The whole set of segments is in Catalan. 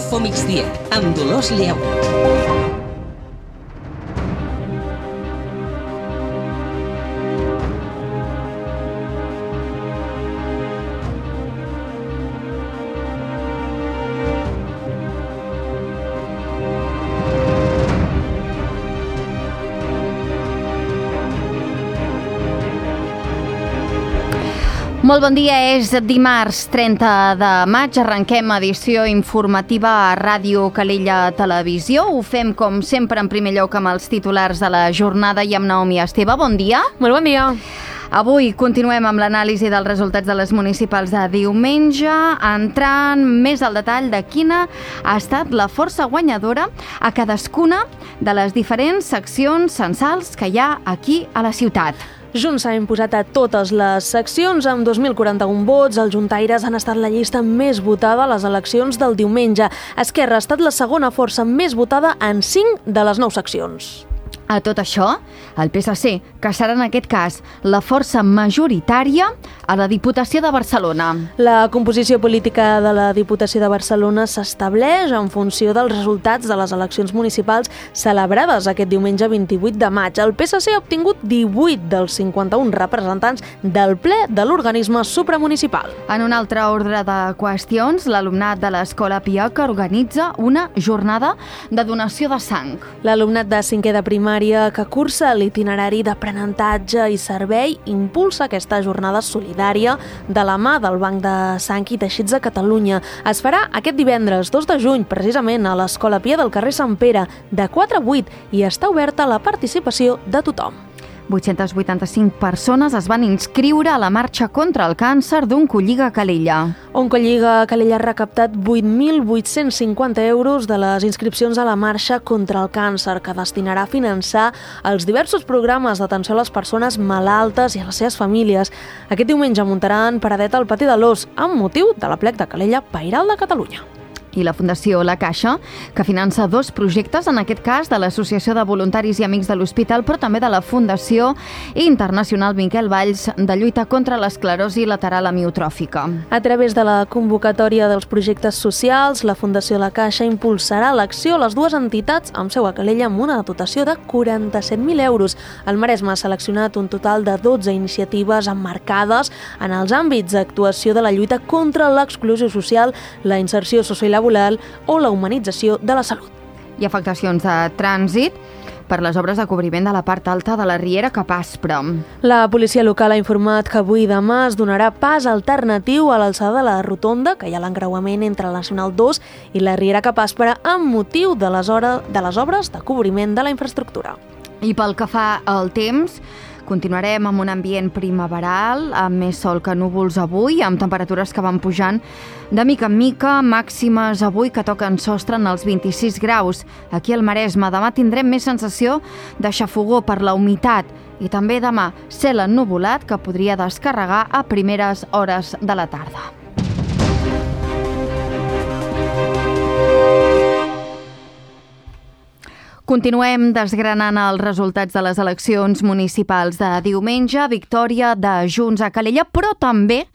Info Migdia, amb Dolors Lleó. Molt bon dia, és dimarts 30 de maig, arrenquem edició informativa a Ràdio Calella Televisió. Ho fem com sempre en primer lloc amb els titulars de la jornada i amb Naomi Esteve. Bon dia. Molt bon dia. Avui continuem amb l'anàlisi dels resultats de les municipals de diumenge, entrant més al detall de quina ha estat la força guanyadora a cadascuna de les diferents seccions censals que hi ha aquí a la ciutat. Junts s'ha imposat a totes les seccions amb 2.041 vots. Els juntaires han estat la llista més votada a les eleccions del diumenge. Esquerra ha estat la segona força més votada en 5 de les 9 seccions. A tot això, el PSC, que serà en aquest cas la força majoritària a la Diputació de Barcelona. La composició política de la Diputació de Barcelona s'estableix en funció dels resultats de les eleccions municipals celebrades aquest diumenge 28 de maig. El PSC ha obtingut 18 dels 51 representants del ple de l'organisme supramunicipal. En un altre ordre de qüestions, l'alumnat de l'Escola Piac organitza una jornada de donació de sang. L'alumnat de 5è de primària que cursa l'itinerari d'aprenentatge i servei impulsa aquesta jornada solidària de la mà del Banc de Sang i Teixits de Catalunya. Es farà aquest divendres 2 de juny, precisament a l'Escola Pia del carrer Sant Pere, de 4 a 8, i està oberta a la participació de tothom. 885 persones es van inscriure a la marxa contra el càncer d'Oncolliga Calella. Oncolliga Calella ha recaptat 8.850 euros de les inscripcions a la marxa contra el càncer, que destinarà a finançar els diversos programes d'atenció a les persones malaltes i a les seves famílies. Aquest diumenge muntaran paradeta al Pati de l'Os, amb motiu de l'aplec de Calella Pairal de Catalunya. I la Fundació La Caixa, que finança 2 projectes, en aquest cas de l'Associació de Voluntaris i Amics de l'Hospital, però també de la Fundació Internacional Miquel Valls de lluita contra l'esclerosi lateral amiotròfica. A través de la convocatòria dels projectes socials, la Fundació La Caixa impulsarà l'acció a les 2 entitats amb seu a Calella amb una dotació de 47.000 euros. El Maresme ha seleccionat un total de 12 iniciatives emmarcades en els àmbits d'actuació de la lluita contra l'exclusió social, la inserció sociolaboral o la humanització de la salut. I afectacions de trànsit per les obres de cobriment de la part alta de la Riera cap a Aspre. La policia local ha informat que avui i demà es donarà pas alternatiu a l'alçada de la rotonda, que hi ha l'encreuament entre la Nacional 2 i la Riera cap a Aspre, amb motiu de les obres de cobriment de la infraestructura. I pel que fa al temps, continuarem amb un ambient primaveral, amb més sol que núvols avui, amb temperatures que van pujant de mica en mica, màximes avui que toquen sostre en els 26 graus. Aquí al Maresme demà tindrem més sensació de xafogor per la humitat i també demà cel ennuvolat que podria descarregar a primeres hores de la tarda. Continuem desgranant els resultats de les eleccions municipals de diumenge, victòria de Junts a Calella, però també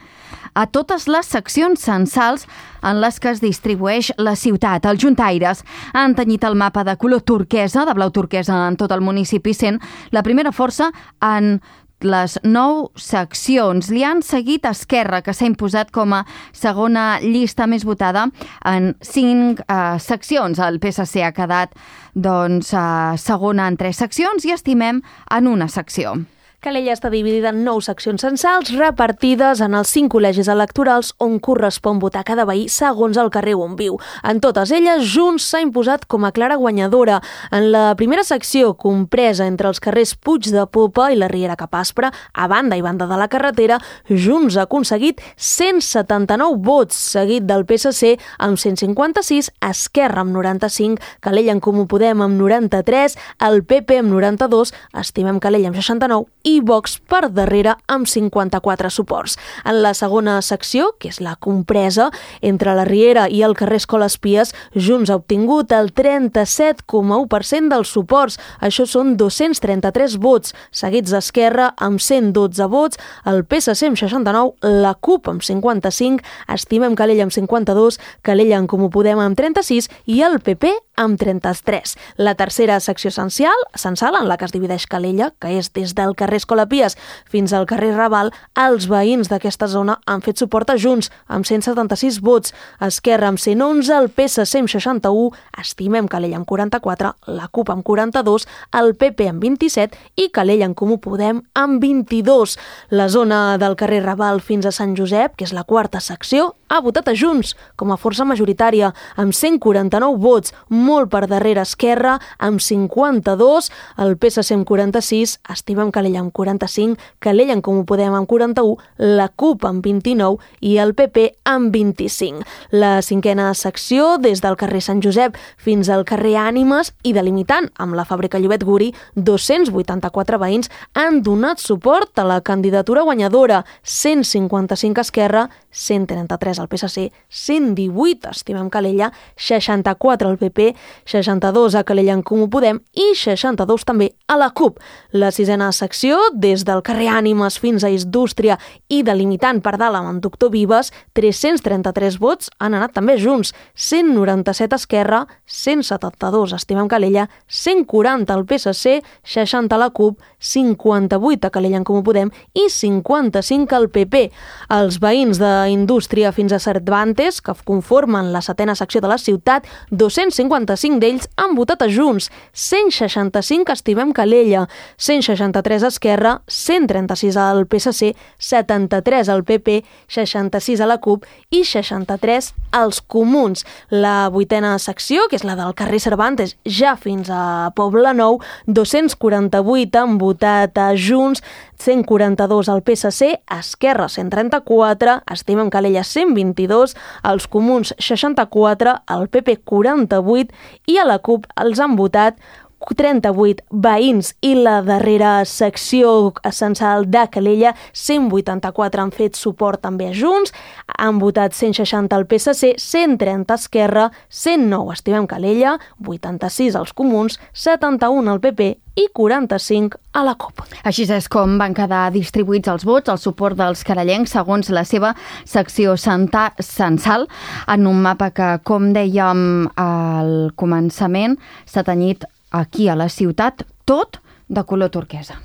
a totes les seccions censals en les que es distribueix la ciutat. Els juntaires han tenyit el mapa de color turquesa, de blau turquesa en tot el municipi, sent la primera força en les 9 seccions. Li han seguit Esquerra, que s'ha imposat com a segona llista més votada en 5 seccions. El PSC ha quedat segona en 3 seccions i Estimem en una secció. Calella està dividida en 9 seccions censals repartides en els 5 col·legis electorals on correspon votar cada veí segons el carrer on viu. En totes elles, Junts s'ha imposat com a clara guanyadora. En la primera secció, compresa entre els carrers Puig de Popa i la Riera cap Aspre, a banda i banda de la carretera, Junts ha aconseguit 179 vots, seguit del PSC amb 156, Esquerra amb 95, Calella en Comú Podem amb 93, el PP amb 92, Estimem Calella amb 69 i i Vox per darrere amb 54 suports. En la segona secció, que és la compresa, entre la Riera i el carrer Escoles Pies, Junts ha obtingut el 37,1% dels suports. Això són 233 vots, seguits d'Esquerra amb 112 vots, el PSC amb 69, la CUP amb 55, Estimem Calella amb 52, Calella en Comú Podem amb 36 i el PP amb 33. La tercera secció censal, en la que es divideix Calella, que és des del carrer Escola Pies fins al carrer Raval, els veïns d'aquesta zona han fet suport a Junts, amb 176 vots, Esquerra amb 111, el PSC amb 61, Estimem Calella amb 44, la CUP amb 42, el PP amb 27 i Calella en Comú Podem amb 22. La zona del carrer Raval fins a Sant Josep, que és la quarta secció, ha votat a Junts com a força majoritària, amb 149 vots, molt per darrere Esquerra, amb 52, el PSC amb 46, Estimem Calella amb 45, Calella en Comú Podem amb 41, la CUP amb 29 i el PP amb 25. La cinquena secció, des del carrer Sant Josep fins al carrer Ànimes i delimitant amb la fàbrica Llobet Guri, 284 veïns han donat suport a la candidatura guanyadora, 155 Esquerra, 133 al PSC, 118 Estimem Calella, 64 al PP, 62 a Calella en Comú Podem i 62 també a la CUP. La sisena secció, des del carrer Ànimes fins a Indústria i delimitant per dalt amb Doctor Vives, 333 vots han anat també Junts, 197 Esquerra, 172 Estimem Calella, 140 al PSC, 60 a la CUP, 58 a Calella en Comú Podem i 55 al PP. Els veïns d'Indústria fins a Cervantes, que conformen la setena secció de la ciutat, 255 d'ells han votat a Junts, 165 Estimem Calella, 163 a Esquerra, 136 al PSC, 73 al PP, 66 a la CUP i 63 als Comuns. La vuitena secció, que és la del carrer Cervantes, ja fins a Poble Nou, 248 han votat a Junts, 142 al PSC, Esquerra 134, Estimem Calella 122, als Comuns 64, al PP 48 i a la CUP els han votat 38 veïns i la darrera secció censal de Calella, 184 han fet suport també a Junts, han votat 160 al PSC, 130 a Esquerra, 109 Estimem Calella, 86 als Comuns, 71 al PP i 45 a la CUP. Així és com van quedar distribuïts els vots al suport dels carellencs segons la seva secció censal en un mapa que, com dèiem al començament, s'ha tenyit aquí a la ciutat, tot de color turquesa.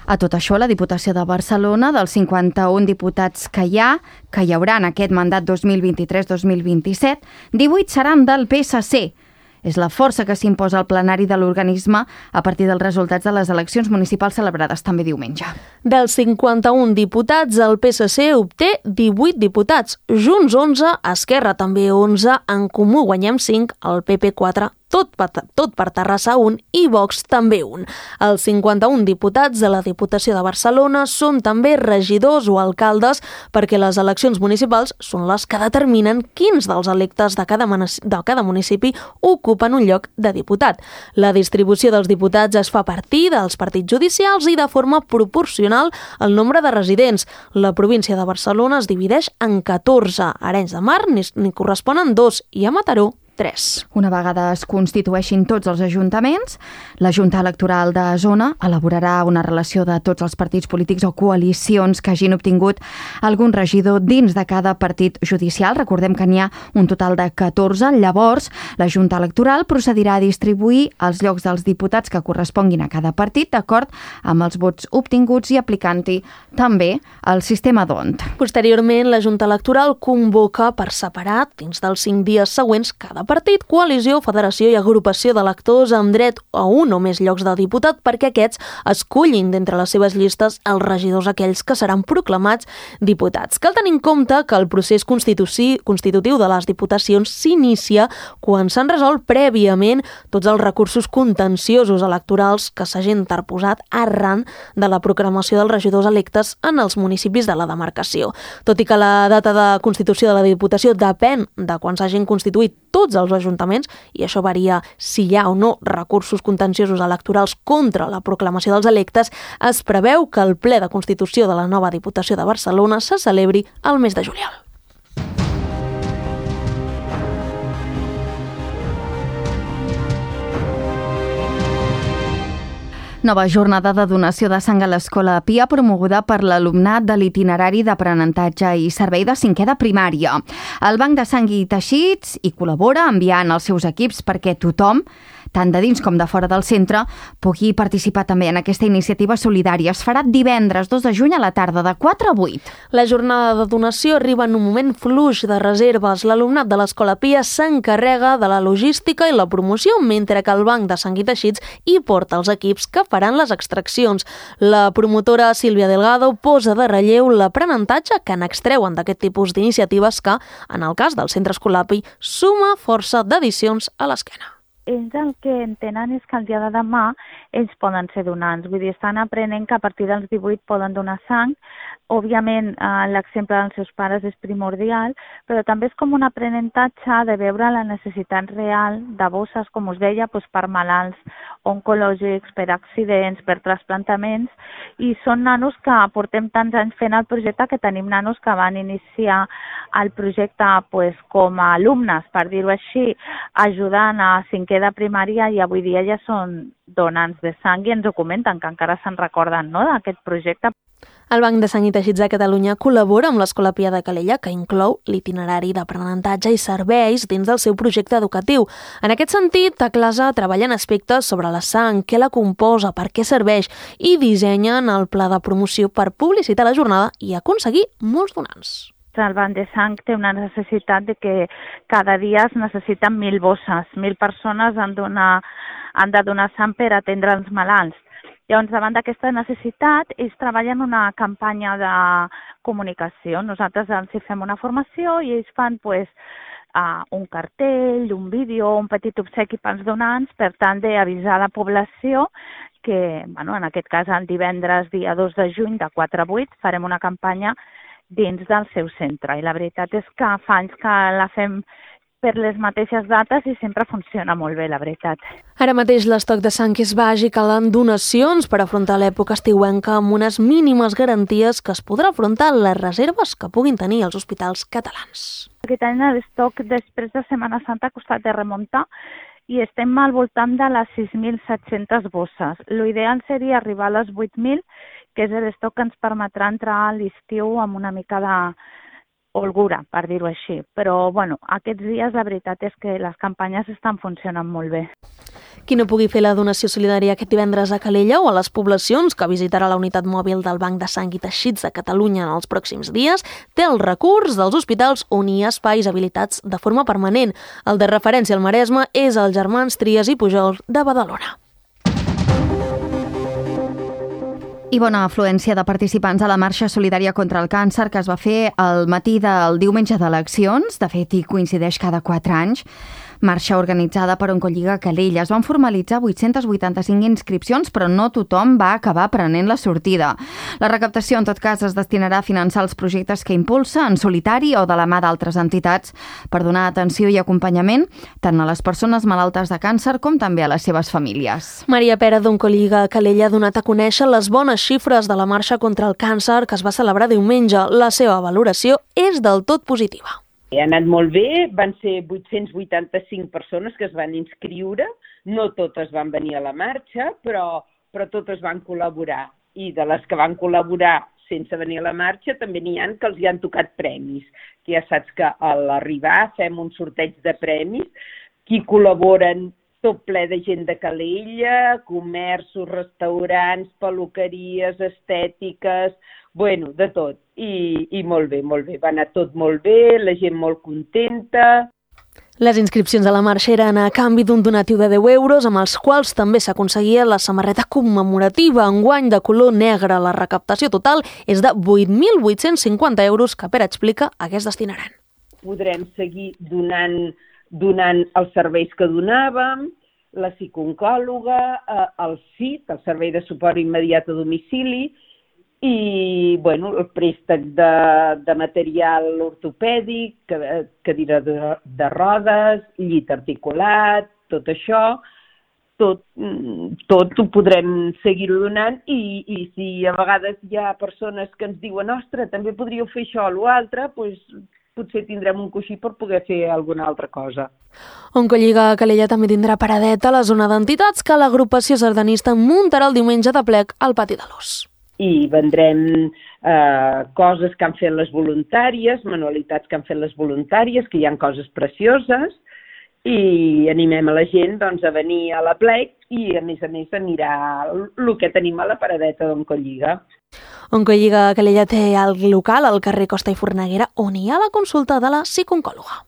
A tot això, la Diputació de Barcelona, dels 51 diputats que hi haurà en aquest mandat 2023-2027, 18 seran del PSC. És la força que s'imposa al plenari de l'organisme a partir dels resultats de les eleccions municipals celebrades també diumenge. Dels 51 diputats, el PSC obté 18 diputats, Junts 11, Esquerra també 11, En Comú Guanyem 5, el PP 4, tot per Terrassa 1 i Vox també 1. Els 51 diputats de la Diputació de Barcelona són també regidors o alcaldes perquè les eleccions municipals són les que determinen quins dels electes de cada municipi ocupen un lloc de diputat. La distribució dels diputats es fa a partir dels partits judicials i de forma proporcional al nombre de residents. La província de Barcelona es divideix en 14. A Arenys de Mar n'hi corresponen 2 i a Mataró 3. Una vegada es constitueixin tots els ajuntaments, la Junta Electoral de Zona elaborarà una relació de tots els partits polítics o coalicions que hagin obtingut algun regidor dins de cada partit judicial. Recordem que n'hi ha un total de 14. Llavors, la Junta Electoral procedirà a distribuir els llocs dels diputats que corresponguin a cada partit d'acord amb els vots obtinguts i aplicant-hi també el sistema d'ONT. Posteriorment, la Junta Electoral convoca per separat, dins dels 5 dies següents, cada partit, coalició, federació i agrupació d'electors amb dret a un o més llocs de diputat perquè aquests escullin d'entre les seves llistes els regidors aquells que seran proclamats diputats. Cal tenir en compte que el procés constitutiu de les diputacions s'inicia quan s'han resolt prèviament tots els recursos contenciosos electorals que s'hagin interposat arran de la proclamació dels regidors electes en els municipis de la demarcació. Tot i que la data de constitució de la Diputació depèn de quan s'hagin constituït tots als ajuntaments, i això varia si hi ha o no recursos contenciosos electorals contra la proclamació dels electes, es preveu que el ple de constitució de la nova Diputació de Barcelona se celebri al mes de juliol. Nova jornada de donació de sang a l'Escola Pia promoguda per l'alumnat de l'itinerari d'aprenentatge i servei de 5è de primària. El Banc de Sang i Teixits hi col·labora enviant els seus equips perquè tothom, tant de dins com de fora del centre, pugui participar també en aquesta iniciativa solidària. Es farà divendres 2 de juny a la tarda de 4 a 8. La jornada de donació arriba en un moment fluix de reserves. L'alumnat de l'Escola Pia s'encarrega de la logística i la promoció, mentre que el Banc de Sang i Teixits hi porta els equips que faran les extraccions. La promotora Sílvia Delgado posa de relleu l'aprenentatge que n'extreuen d'aquest tipus d'iniciatives que, en el cas del centre escolar Pi, suma força d'edicions a l'esquena. Ells el que entenen és que el dia de demà ells poden ser donants. Vull dir, estan aprenent que a partir dels 18 poden donar sang. Òbviament, l'exemple dels seus pares és primordial, però també és com un aprenentatge de veure la necessitat real de bosses, com us deia, per malalts oncològics, per accidents, per trasplantaments, i són nanos que portem tants anys fent el projecte que tenim nanos que van iniciar el projecte com a alumnes, per dir-ho així, ajudant a 5è de primària, i avui dia ja són donants de sang i ens ho comenten, que encara se'n recorden, no?, d'aquest projecte. El Banc de Sang i Teixits de Catalunya col·labora amb l'Escola Pia de Calella, que inclou l'itinerari d'aprenentatge i serveis dins del seu projecte educatiu. En aquest sentit, a classe treballen aspectes sobre la sang, què la composa, per què serveix, i dissenyen el pla de promoció per publicitar la jornada i aconseguir molts donants. El Banc de Sang té una necessitat de que cada dia es necessiten 1.000 bosses. 1.000 persones han de donar sang per atendre els malalts. Llavors, davant d'aquesta necessitat, ells treballen una campanya de comunicació. Nosaltres els fem una formació i ells fan un cartell, un vídeo, un petit obsequi pels donants, per tant d'avisar la població que, en aquest cas, el divendres dia 2 de juny de 4 a 8 farem una campanya dins del seu centre. I la veritat és que fa anys que la fem per les mateixes dates i sempre funciona molt bé, la veritat. Ara mateix l'estoc de sang és baix i calen donacions per afrontar l'època estiuenca amb unes mínimes garanties que es podrà afrontar les reserves que puguin tenir els hospitals catalans. Aquest any l'estoc després de Setmana Santa ha costat de remuntar i estem al voltant de les 6.700 bosses. L'ideal seria arribar a les 8.000, que és l'estoc que ens permetrà entrar a l'estiu amb una mica de holgura, per dir-ho així. Però, aquests dies la veritat és que les campanyes estan funcionant molt bé. Qui no pugui fer la donació solidària aquest divendres a Calella o a les poblacions que visitarà la unitat mòbil del Banc de Sang i Teixits de Catalunya en els pròxims dies, té el recurs dels hospitals on hi ha espais habilitats de forma permanent. El de referència al Maresme és el Germans Trias i Pujol de Badalona. I bona afluència de participants a la marxa solidària contra el càncer que es va fer el matí del diumenge d'eleccions. De fet, hi coincideix cada 4 anys. Marxa organitzada per Oncolliga Calella. Es van formalitzar 885 inscripcions, però no tothom va acabar prenent la sortida. La recaptació, en tot cas, es destinarà a finançar els projectes que impulsa en solitari o de la mà d'altres entitats per donar atenció i acompanyament tant a les persones malaltes de càncer com també a les seves famílies. Maria Pera d'Oncolliga Calella ha donat a conèixer les bones xifres de la marxa contra el càncer que es va celebrar diumenge. La seva valoració és del tot positiva. Ha anat molt bé, van ser 885 persones que es van inscriure, no totes van venir a la marxa, però totes van col·laborar. I de les que van col·laborar sense venir a la marxa també n'hi ha que els hi han tocat premis. Que ja saps que a l'arribar fem un sorteig de premis, qui col·laboren tot ple de gent de Calella, comerços, restaurants, peluqueries, estètiques, de tot. I molt bé, molt bé. Va anar tot molt bé, la gent molt contenta. Les inscripcions a la marxa eren a canvi d'un donatiu de 10 euros, amb els quals també s'aconseguia la samarreta commemorativa enguany de color negre. La recaptació total és de 8.850 euros que Pere explica a què es destinaran. Podrem seguir donant els serveis que donàvem, la psicooncòloga, el SIT, el Servei de Suport Immediat a Domicili, i el préstec de material ortopèdic, cadira de rodes, llit articulat, tot això, tot ho podrem seguir-ho donant i si a vegades hi ha persones que ens diuen ostres, també podríeu fer això o l'altre, doncs potser tindrem un coixí per poder fer alguna altra cosa. Oncolliga Calella també tindrà paradeta a la zona d'entitats que l'agrupació sardanista muntarà el diumenge de plec al Pati de l'Os. I vendrem coses que han fet les voluntàries, manualitats que han fet les voluntàries, que hi ha coses precioses, i animem a la gent a venir a la plec i a més a mirar el que tenim a la paradeta d'Oncolliga. Oncolliga Calella té el local al carrer Costa i Forneguera, on hi ha la consulta de la psicooncòloga.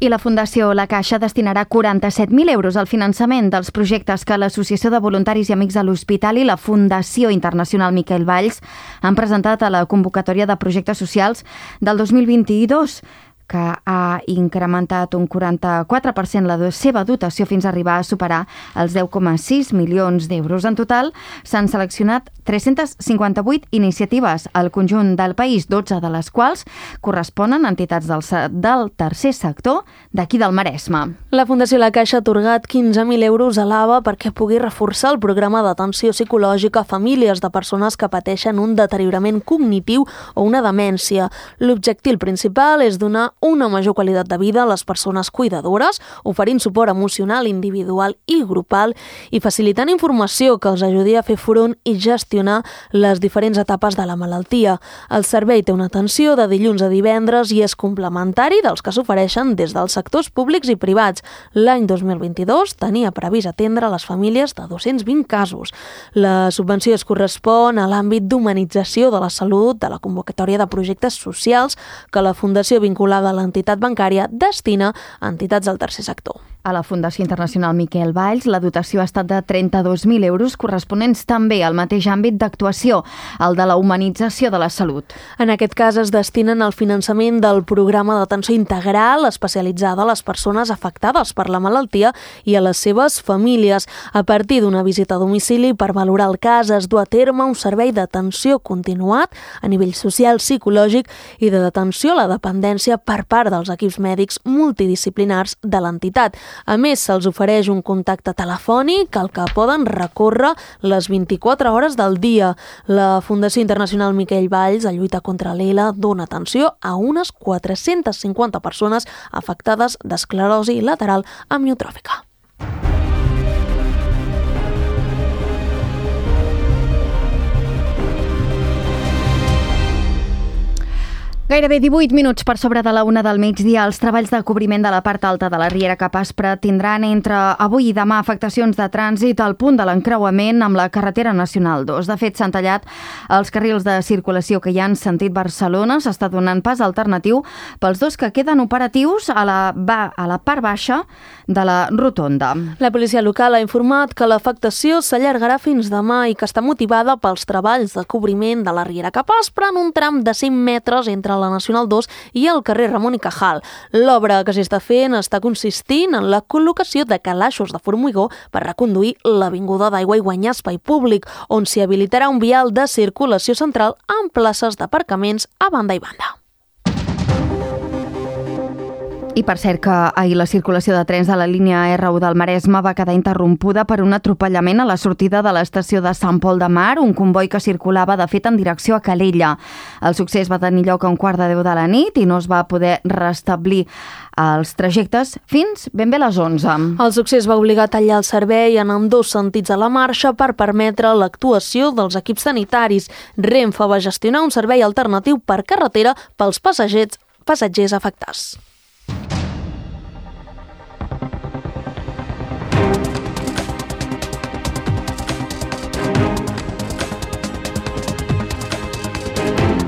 I la Fundació La Caixa destinarà 47.000 euros al finançament dels projectes que l'Associació de Voluntaris i Amics de l'Hospital i la Fundació Internacional Miquel Valls han presentat a la convocatòria de projectes socials del 2022, que ha incrementat un 44% la seva dotació fins a arribar a superar els 10,6 milions d'euros. En total, s'han seleccionat 358 iniciatives al conjunt del país, 12 de les quals corresponen a entitats del tercer sector d'aquí del Maresme. La Fundació La Caixa ha atorgat 15.000 euros a l'AVA perquè pugui reforçar el programa d'atenció psicològica a famílies de persones que pateixen un deteriorament cognitiu o una demència. L'objectiu principal és donar una major qualitat de vida a les persones cuidadores, oferint suport emocional, individual i grupal i facilitant informació que els ajudi a fer front i gestionar les diferents etapes de la malaltia. El servei té una atenció de dilluns a divendres i és complementari dels que s'ofereixen des dels sectors públics i privats. L'any 2022 tenia previst atendre les famílies de 220 casos. La subvenció es correspon a l'àmbit d'humanització de la salut de la convocatòria de projectes socials que la Fundació vinculada a l'entitat bancària destina a entitats del tercer sector. A la Fundació Internacional Miquel Valls, la dotació ha estat de 32.000 euros corresponents també al mateix àmbit d'actuació, el de la humanització de la salut. En aquest cas es destinen al finançament del programa d'atenció integral especialitzada a les persones afectades per la malaltia i a les seves famílies. A partir d'una visita a domicili per valorar el cas es du a terme un servei d'atenció continuat a nivell social, psicològic i de detenció a la dependència per part dels equips mèdics multidisciplinars de l'entitat. A més, se'ls ofereix un contacte telefònic al que poden recórrer les 24 hores del dia. La Fundació Internacional Miquel Valls, a lluita contra l'ELA, dona atenció a unes 450 persones afectades d'esclerosi lateral amiotròfica. Gairebé 18 minuts per sobre de la 1 del migdia. Els treballs de cobriment de la part alta de la Riera Capaspra tindran entre avui i demà afectacions de trànsit al punt de l'encreuament amb la carretera nacional 2. De fet, s'han tallat els carrils de circulació que hi ha en sentit Barcelona. S'està donant pas alternatiu pels dos que queden operatius a la part baixa de la rotonda. La policia local ha informat que l'afectació s'allargarà fins demà i que està motivada pels treballs de cobriment de la Riera Capaspra en un tram de 5 metres entre la Nacional 2 i el carrer Ramon i Cajal. L'obra que s'està fent està consistint en la col·locació de calaixos de formigó per reconduir l'avinguda d'Aigua i guanyar espai públic, on s'hi habilitarà un vial de circulació central amb places d'aparcaments a banda i banda. I per cert que ahir la circulació de trens de la línia R1 del Maresme va quedar interrompuda per un atropellament a la sortida de l'estació de Sant Pol de Mar, un comboi que circulava de fet en direcció a Calella. El succés va tenir lloc a 9:15 de la nit i no es va poder restablir els trajectes fins ben bé a les 11. El succés va obligar a tallar el servei en ambdós sentits a la marxa per permetre l'actuació dels equips sanitaris. Renfe va gestionar un servei alternatiu per carretera pels passatgers afectats.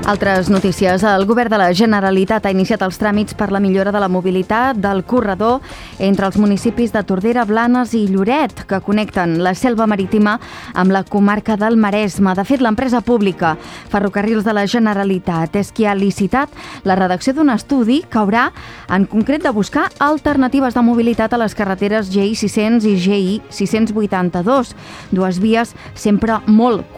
Altres notícies. El govern de la Generalitat ha iniciat els tràmits per la millora de la mobilitat del corredor entre els municipis de Tordera, Blanes i Lloret, que connecten la selva marítima amb la comarca del Maresme. De fet, l'empresa pública Ferrocarrils de la Generalitat és qui ha licitat la redacció d'un estudi que haurà, en concret, de buscar alternatives de mobilitat a les carreteres GI 600 i GI 682, dues vies sempre molt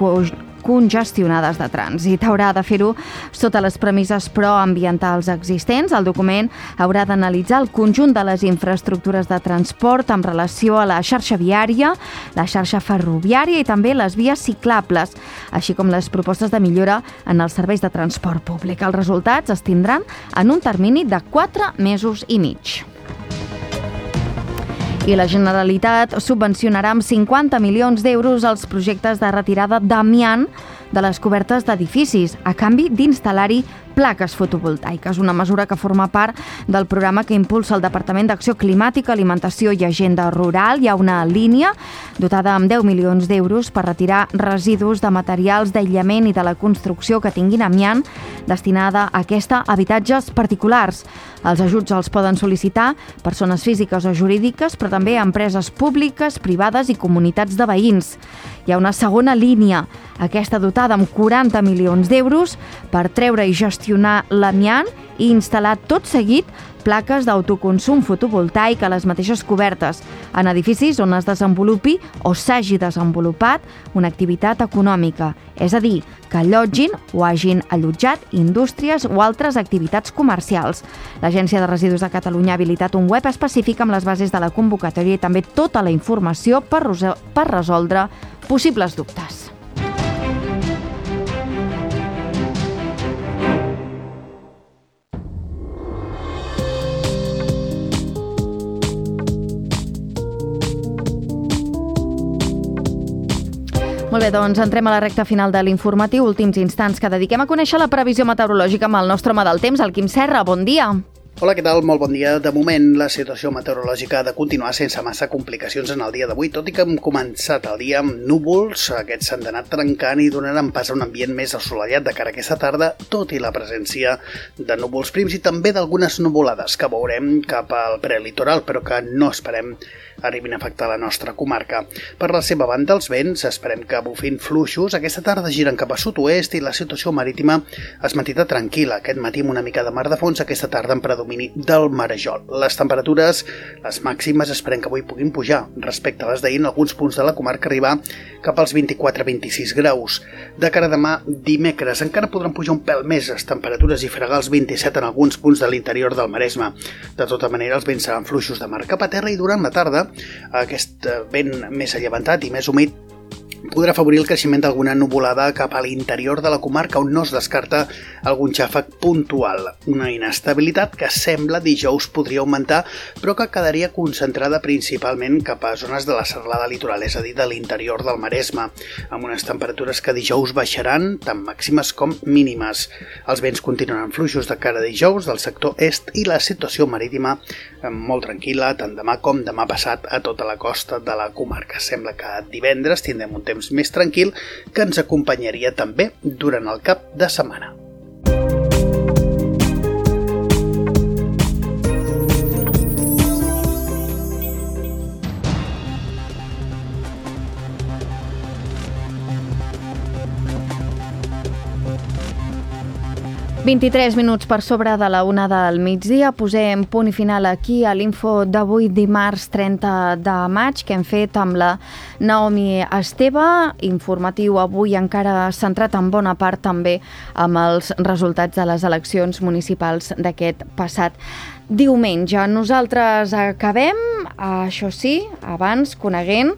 congestionades de trànsit. Haurà de fer-ho sota les premisses proambientals existents. El document haurà d'analitzar el conjunt de les infraestructures de transport en relació a la xarxa viària, la xarxa ferroviària i també les vies ciclables, així com les propostes de millora en els serveis de transport públic. Els resultats es tindran en un termini de 4 mesos i mig. I la Generalitat subvencionarà amb 50 milions d'euros els projectes de retirada d'amiant de les cobertes d'edificis, a canvi d'instal·lar-hi plaques fotovoltaiques, una mesura que forma part del programa que impulsa el Departament d'Acció Climàtica, Alimentació i Agenda Rural. Hi ha una línia dotada amb 10 milions d'euros per retirar residus de materials d'aïllament i de la construcció que tinguin amiant, destinada a aquesta a habitatges particulars. Els ajuts els poden sol·licitar persones físiques o jurídiques, però també empreses públiques, privades i comunitats de veïns. Hi ha una segona línia, aquesta dotada amb 40 milions d'euros per treure i gestionar l'amiant i instal·lar tot seguit plaques d'autoconsum fotovoltaic a les mateixes cobertes, en edificis on es desenvolupi o s'hagi desenvolupat una activitat econòmica, és a dir, que allotgin o hagin allotjat indústries o altres activitats comercials. L'Agència de Residus de Catalunya ha habilitat un web específic amb les bases de la convocatòria i també tota la informació per resoldre possibles dubtes. Molt bé, doncs entrem a la recta final de l'informatiu, últims instants que dediquem a conèixer la previsió meteorològica amb el nostre home del temps, el Quim Serra. Bon dia. Hola, què tal? Molt bon dia. De moment, la situació meteorològica ha de continuar sense massa complicacions en el dia d'avui, tot i que hem començat el dia amb núvols. Aquests s'han d'anar trencant i donaran pas a un ambient més assolellat de cara a aquesta tarda, tot i la presència de núvols prims i també d'algunes nuvolades que veurem cap al prelitoral, però que no esperem arribin a afectar la nostra comarca. Per la seva banda, els vents esperem que bufin fluixos. Aquesta tarda giren cap a sud-oest i la situació marítima es mantindrà tranquil·la. Aquest matí amb una mica de mar de fons, aquesta tarda en predomini del marejol. Les temperatures, les màximes, esperem que avui puguin pujar. Respecte a les d'ahir, en alguns punts de la comarca arribar cap als 24-26 graus. De cara a demà, dimecres, encara podran pujar un pèl més les temperatures i fregar els 27 en alguns punts de l'interior del Maresme. De tota manera, els vents seran fluixos de mar cap a terra i durant la tarda aquest vent més allevantat i més humit podrà afavorir el creixement d'alguna nuvolada cap a l'interior de la comarca on no es descarta algun xàfec puntual. Una inestabilitat que sembla dijous podria augmentar però que quedaria concentrada principalment cap a zones de la serralada litoral, és a dir, de l'interior del Maresme, amb unes temperatures que dijous baixaran tant màximes com mínimes. Els vents continuaran fluixos de cara a dijous del sector est i la situació marítima molt tranquil·la tant demà com demà passat a tota la costa de la comarca. Sembla que divendres tindrem un temps més tranquil que ens acompanyaria també durant el cap de setmana. ...23 minuts per sobre de la 1 del migdia. Posem punt i final aquí a l'info d'avui, dimarts 30 de maig, que hem fet amb la Naomi Esteve. Informatiu avui encara centrat en bona part també amb els resultats de les eleccions municipals d'aquest passat diumenge. Nosaltres acabem, això sí, abans coneguent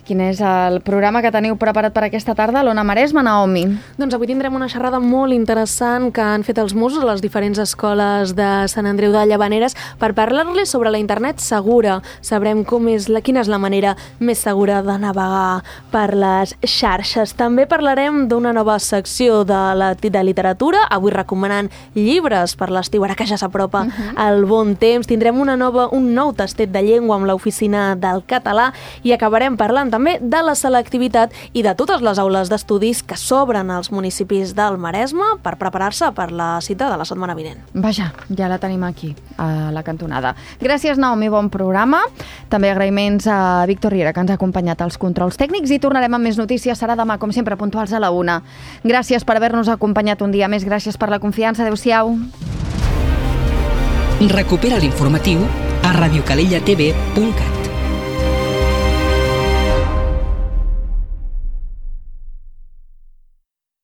quin és el programa que teniu preparat per aquesta tarda a l'Ona Maresme, Naomi? Doncs avui tindrem una xerrada molt interessant que han fet els Mossos a les diferents escoles de Sant Andreu de Llavaneres per parlar-les sobre la internet segura. Sabrem quina és la manera més segura de navegar per les xarxes. També parlarem d'una nova secció de literatura, avui recomanant llibres per l'estiu, ara que ja s'apropa el bon temps. Tindrem un nou tastet de llengua amb l'Oficina del Català i acabarem parlant també de la selectivitat i de totes les aules d'estudis que s'obren als municipis del Maresme per preparar-se per la cita de la setmana vinent. Vaja, ja la tenim aquí, a la cantonada. Gràcies, Naomi, bon programa. També agraïments a Víctor Riera, que ens ha acompanyat als controls tècnics, i tornarem amb més notícies. Serà demà, com sempre, puntuals a la 1. Gràcies per haver-nos acompanyat un dia més. Gràcies per la confiança. Adéu-siau. Recupera l'informatiu a radiocalellatv.cat.